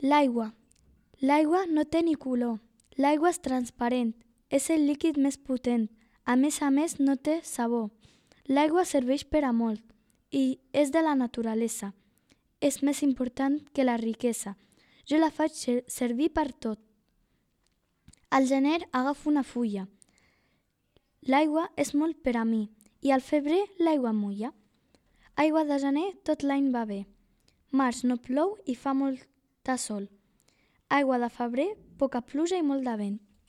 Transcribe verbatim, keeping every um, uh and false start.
L'aigua. L'aigua no té ni color. L'aigua és transparent. És el líquid més potent. A més a més no té sabor. L'aigua serveix per a molt i és de la naturalesa. És més important que la riquesa. Jo la faig servir per tot. Al gener agafo una fulla. L'aigua és molt per a mi i al febrer l'aigua mulla. Aigua de gener tot l'any va bé. Març no plou i fa molta sol. Aigua de febrer, poca pluja i molt de vent.